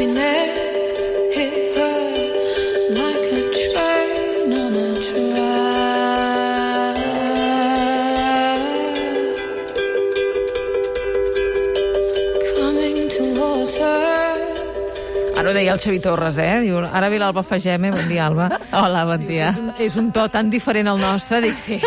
happiness hit her like a train on a track. Coming towards her. Ara ho deia el Xavi Torres, Diu, ara ve l'Alba Fageme, bon dia, Alba. Hola, bon dia. És un to tan diferent al nostre, dic, sí.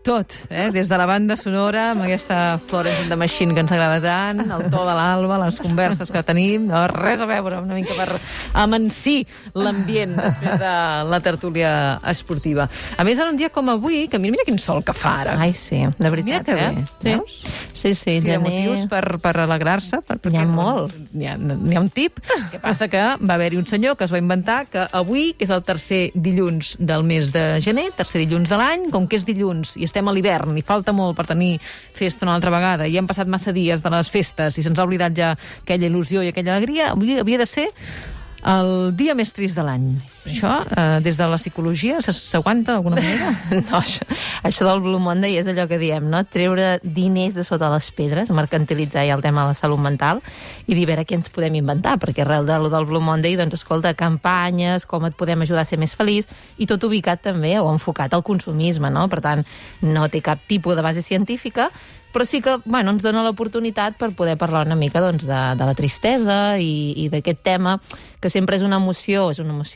Tot, des de la banda sonora, amb aquesta Florence and the Machine que ens agrada tant, el to de l'Alba, les converses que tenim, no, res a veure, una mica per amansir l'ambient després de la tertúlia esportiva. A més, en un dia com avui, que mira quin sol que fa ara. Ai, sí, de veritat, Mira que bé, veus? Sí, Sí, de motius per alegrar-se. N'hi ha molts. N'hi ha un tip. Que passa que va haver-hi un senyor que es va inventar que avui, que és el tercer dilluns del mes de gener, tercer dilluns de l'any, com que és dilluns i estem a l'hivern i falta molt per tenir festa una altra vegada i hem passat massa dies de les festes i se'ns ha oblidat ja aquella il·lusió i aquella alegria, avui havia de ser el dia més trist de l'any. Això, des de la psicologia, s'aguanta d'alguna manera? No, això del Blue Monday és allò que diem, no? Treure diners de sota les pedres, mercantilitzar ja el tema de la salut mental i dir a veure què ens podem inventar, perquè arrel del Blue Monday, doncs, escolta, campanyes, com et podem ajudar a ser més feliç, i tot ubicat també o enfocat al consumisme, no? Per tant, no té cap tipus de base científica, però sí que ens dona l'oportunitat per poder parlar una mica doncs, de la tristesa i d'aquest tema, que sempre és una emoció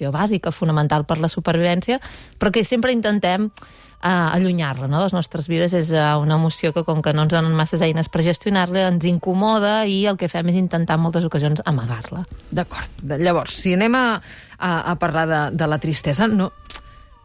bàsica, fonamental per la supervivència, però que sempre intentem allunyar-la, no? Les nostres vides és una emoció que, com que no ens donen masses eines per gestionar-la, ens incomoda i el que fem és intentar en moltes ocasions amagar-la. D'acord. Llavors, si anem a parlar de la tristesa,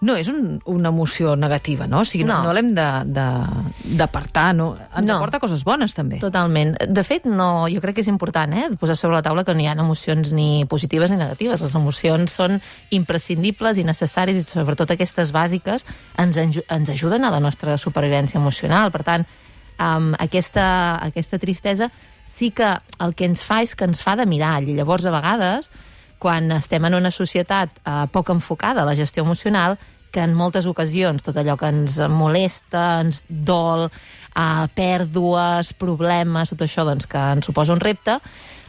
no és una emoció negativa, no? O sigui, no l'hem d'apartar, no? Ens aporta coses bones, també. Totalment. De fet, jo crec que és important, posar sobre la taula que no hi ha emocions ni positives ni negatives. Les emocions són imprescindibles i necessàries, i sobretot aquestes bàsiques ens ajuden a la nostra supervivència emocional. Per tant, aquesta tristesa sí que el que ens fa és que ens fa de mirall, i llavors, a vegades, quan estem en una societat poc enfocada a la gestió emocional, que en moltes ocasions tot allò que ens molesta, ens dol, pèrdues, problemes, tot això doncs, que ens suposa un repte,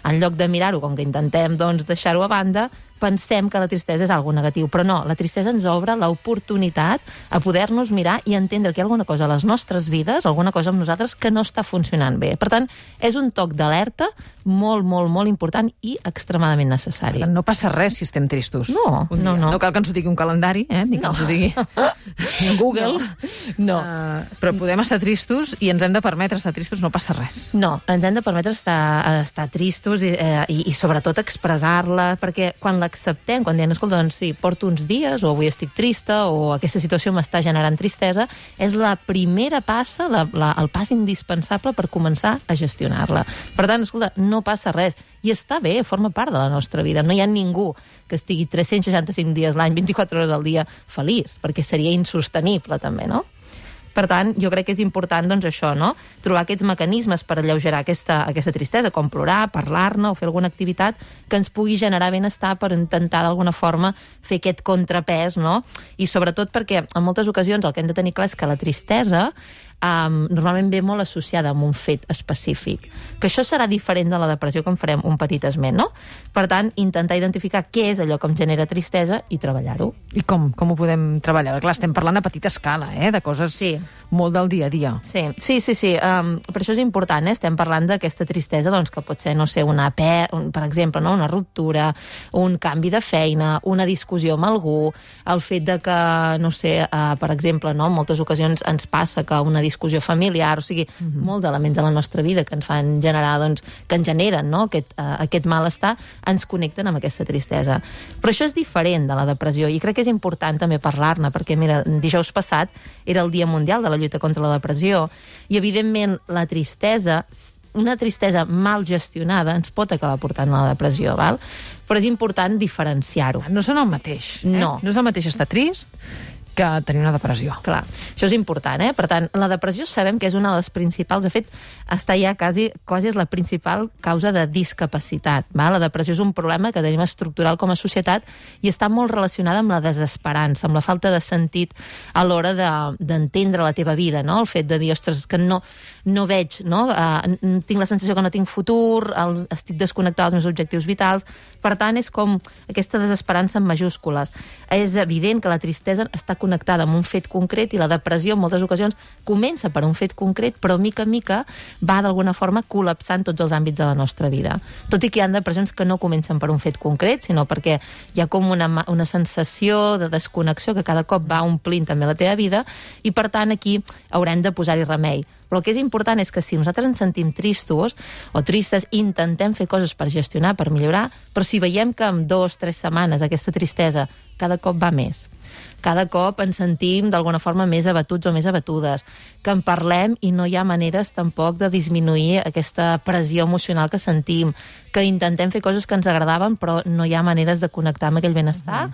en lloc de mirar-ho, com que intentem deixar-ho a banda, pensem que la tristesa és alguna negatiu, però no, la tristesa ens obre l'oportunitat a poder-nos mirar i entendre que hi ha alguna cosa a les nostres vides, alguna cosa amb nosaltres que no està funcionant bé. Per tant, és un toc d'alerta molt, molt, molt important i extremadament necessari. No passa res si estem tristos. No. No cal que ens ho digui un calendari, ni que ens ho digui Google. No. Però podem estar tristos i ens hem de permetre estar tristos, no passa res. No, ens hem de permetre estar tristos i sobretot expressar-la, perquè quan l'acceptem, quan diem, escolta, doncs sí, porto uns dies, o avui estic trista, o aquesta situació m'està generant tristesa, és la primera passa, el pas indispensable per començar a gestionar-la. Per tant, escolta, no passa res. I està bé, forma part de la nostra vida. No hi ha ningú que estigui 365 dies l'any, 24 hores al dia, feliç, perquè seria insostenible, també, no? Per tant, jo crec que és important, doncs, això, no? Trobar aquests mecanismes per alleugerar aquesta tristesa, com plorar, parlar-ne o fer alguna activitat que ens pugui generar benestar per intentar, d'alguna forma, fer aquest contrapès, no? I sobretot perquè, en moltes ocasions, el que hem de tenir clar és que la tristesa normalment ve molt associada amb un fet específic. Que això serà diferent de la depressió, que en farem un petit esment, no? Per tant, intentar identificar què és allò que em genera tristesa i treballar-ho. I com ho podem treballar? Clar, estem parlant a petita escala, de coses molt del dia a dia. Sí. Per això és important, estem parlant d'aquesta tristesa, doncs, que pot ser, no sé, per exemple, no? Una ruptura, un canvi de feina, una discussió amb algú, el fet de que, no sé, per exemple, no? En moltes ocasions ens passa que una discussió familiar, o sigui, molts elements de la nostra vida que ens fan generar, doncs, que ens generen, no? Aquest malestar, ens connecten amb aquesta tristesa. Però això és diferent de la depressió i crec que és important també parlar-ne, perquè, mira, dijous passat era el Dia Mundial de la lluita contra la depressió i, evidentment, la tristesa, una tristesa mal gestionada ens pot acabar portant a la depressió, val? Però és important diferenciar-ho. No són el mateix. No. No és el mateix estar trist que tenir una depressió. Clar, això és important, eh? Per tant, la depressió sabem que és una de les principals, de fet, està ja quasi és la principal causa de discapacitat. Va? La depressió és un problema que tenim estructural com a societat i està molt relacionada amb la desesperança, amb la falta de sentit a l'hora d'entendre la teva vida, no? El fet de dir, ostres, que no veig, no? Tinc la sensació que no tinc futur, estic desconnectada dels meus objectius vitals. Per tant, és com aquesta desesperança en majúscules. És evident que la tristesa està connectada amb un fet concret i la depressió en moltes ocasions comença per un fet concret, però mica en mica va d'alguna forma col·lapsant tots els àmbits de la nostra vida. Tot i que hi ha depressions que no comencen per un fet concret, sinó perquè hi ha com una sensació de desconnexió que cada cop va omplint també la teva vida i, per tant, aquí haurem de posar-hi remei. Però el que és important és que si nosaltres ens sentim tristos o tristes, intentem fer coses per gestionar, per millorar, però si veiem que en 2 o 3 setmanes aquesta tristesa cada cop va més, cada cop ens sentim d'alguna forma més abatuts o més abatudes, que en parlem i no hi ha maneres tampoc de disminuir aquesta pressió emocional que sentim, que intentem fer coses que ens agradaven però no hi ha maneres de connectar amb aquell benestar,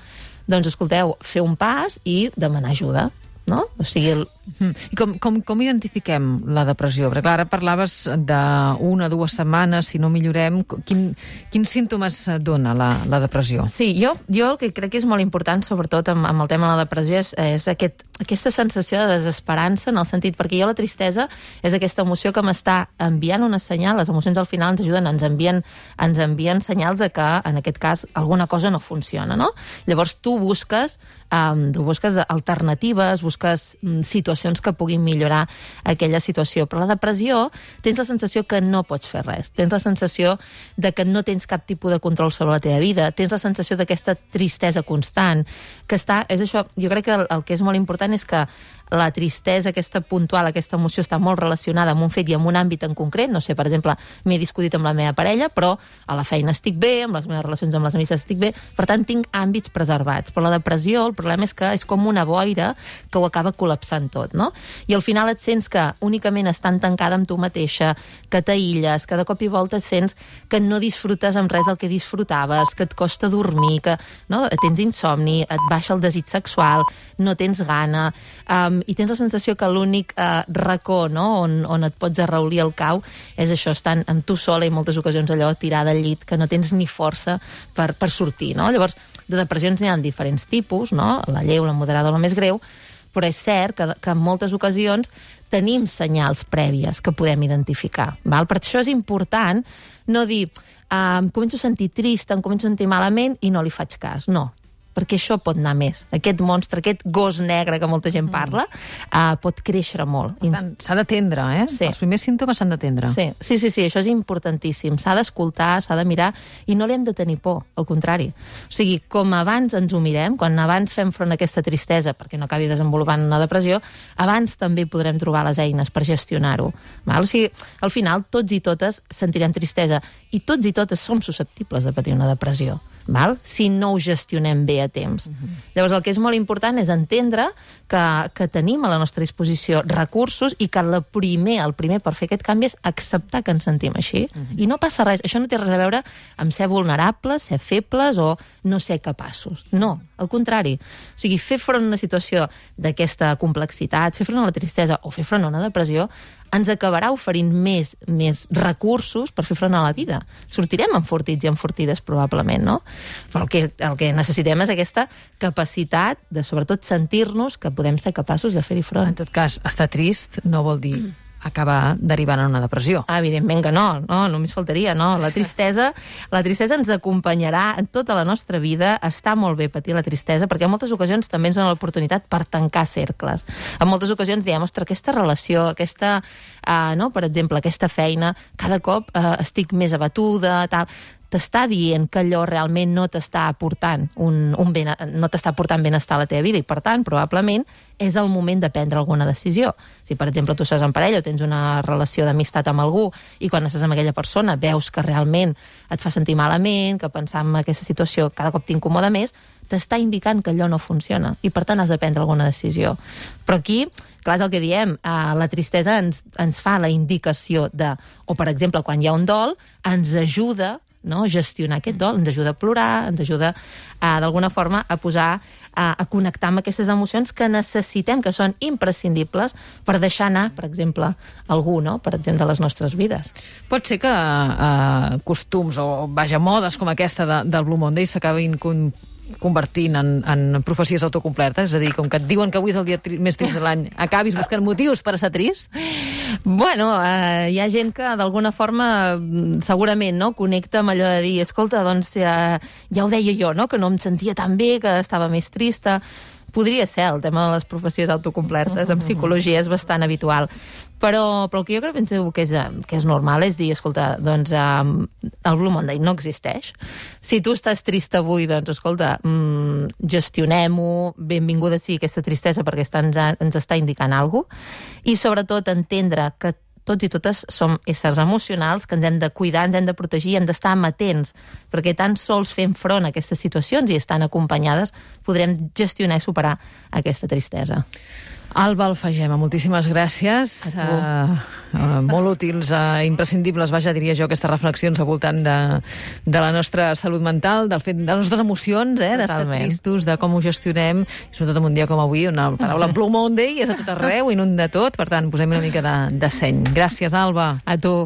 doncs escolteu, fer un pas i demanar ajuda. No? O sigui... I com identifiquem la depressió? Perquè ara parlaves d'1 o 2 setmanes, si no millorem, quins símptomes dona la depressió? Sí, jo el que crec que és molt important, sobretot amb el tema de la depressió, és aquesta sensació de desesperança, en el sentit, perquè jo la tristesa és aquesta emoció que m'està enviant una senyal, les emocions al final ens ajuden, ens envien senyals de que, en aquest cas, alguna cosa no funciona, no? Llavors tu busques alternatives, busques situacions que puguin millorar aquella situació. Però la depressió tens la sensació que no pots fer res. Tens la sensació de que no tens cap tipus de control sobre la teva vida. Tens la sensació d'aquesta tristesa constant. És això, jo crec que el que és molt important és que la tristesa, aquesta puntual, aquesta emoció està molt relacionada amb un fet i amb un àmbit en concret. No sé, per exemple, m'he discutit amb la meva parella, però a la feina estic bé, amb les meves relacions amb les amistats estic bé, per tant tinc àmbits preservats. Però la depressió, el problema és que és com una boira que ho acaba col·lapsant tot, no? I al final et sents que únicament estan tancada amb tu mateixa, que t'aïlles, que de cop i volta et sents que no disfrutes amb res del que disfrutaves, que et costa dormir, que no? Tens insomni, et baixa el desig sexual, no tens gana, i tens la sensació que l'únic racó, no? on et pots arraulir el cau és això, estant amb tu sola i moltes ocasions allò tirada al llit, que no tens ni força per sortir, no? Llavors, de depressions n'hi ha diferents tipus, no? La lleu, la moderada o la més greu, però és cert que en moltes ocasions tenim senyals prèvies que podem identificar. Val? Per això és important no dir em començo a sentir trist, em començo a sentir malament i no li faig cas. No, perquè això pot anar més. Aquest monstre, aquest gos negre que molta gent parla, pot créixer molt. Per tant, s'ha d'atendre, eh? Sí. Els primers símptomes s'han d'atendre. Sí, això és importantíssim. S'ha d'escoltar, s'ha de mirar, i no li hem de tenir por, al contrari. O sigui, com abans ens ho mirem, quan abans fem front a aquesta tristesa, perquè no acabi desenvolupant una depressió, abans també podrem trobar les eines per gestionar-ho. O sigui, al final, tots i totes sentirem tristesa, i tots i totes som susceptibles de patir una depressió. Val? Si no ho gestionem bé a temps. Llavors, el que és molt important és entendre que tenim a la nostra disposició recursos i que el primer per fer aquest canvi és acceptar que ens sentim així. I no passa res. Això no té res a veure amb ser vulnerables, ser febles o no ser capaços. No, al contrari. O sigui, fer front a una situació d'aquesta complexitat, fer front a la tristesa o fer front a una depressió ens acabarà oferint més recursos per fer front a la vida. Sortirem enfortits i enfortides, probablement, no? Però el que necessitem és aquesta capacitat de, sobretot, sentir-nos que podem ser capaços de fer-hi front. En tot cas, estar trist no vol dir acabar derivant en una depressió. Evidentment que no, només faltaria, no. La tristesa ens acompanyarà en tota la nostra vida. Està molt bé patir la tristesa, perquè en moltes ocasions també ens dona l'oportunitat per tancar cercles. En moltes ocasions diem, ostres, aquesta relació, per exemple, aquesta feina, cada cop estic més abatuda, tal. T'està dient que allò realment no t'està aportant no t'està aportant benestar a la teva vida i, per tant, probablement és el moment de prendre alguna decisió. Si, per exemple, tu estàs en parella o tens una relació d'amistat amb algú i quan estàs amb aquella persona veus que realment et fa sentir malament, que pensar en aquesta situació cada cop t'incomoda més, t'està indicant que allò no funciona i, per tant, has de prendre alguna decisió. Però aquí, clar, és el que diem, la tristesa ens fa la indicació de, o, per exemple, quan hi ha un dol, ens ajuda no? Gestionar aquest dol, ens ajuda a plorar, ens ajuda d'alguna forma a posar, a connectar amb aquestes emocions que necessitem, que són imprescindibles per deixar anar, per exemple, algú, no? Per exemple, de les nostres vides. Pot ser que costums o, vaja, modes com aquesta del Blue Monday s'acabin convertint en profecies autocomplertes? És a dir, com que et diuen que avui és el dia més trist de l'any, acabis buscant motius per estar trist? Bueno, hi ha gent que d'alguna forma segurament, no?, connecta amb allò de dir, escolta, doncs ja ho deia jo, no?, que no em sentia tan bé, que estava més trista. Podria ser, el tema de les profecies autocomplertes en psicologia és bastant habitual. Però el que jo crec que és normal és dir, escolta, doncs el Blue Monday no existeix. Si tu estàs trist avui, doncs escolta, gestionem-ho, benvinguda sigui aquesta tristesa perquè ens està indicant alguna cosa, i sobretot entendre que tots i totes som éssers emocionals, que ens hem de cuidar, ens hem de protegir, hem d'estar amatents, perquè tan sols fent front a aquestes situacions i estan acompanyades podrem gestionar i superar aquesta tristesa. Alba Alfagema, moltíssimes gràcies. Molt útils, imprescindibles, vaja, diria jo, aquestes reflexions al voltant de la nostra salut mental, de les nostres emocions, d'estar tristos, de com ho gestionem, i sobretot en un dia com avui, on la paraula Blue Monday és a tot arreu, inunda tot, per tant, posem una mica de seny. Gràcies, Alba. A tu.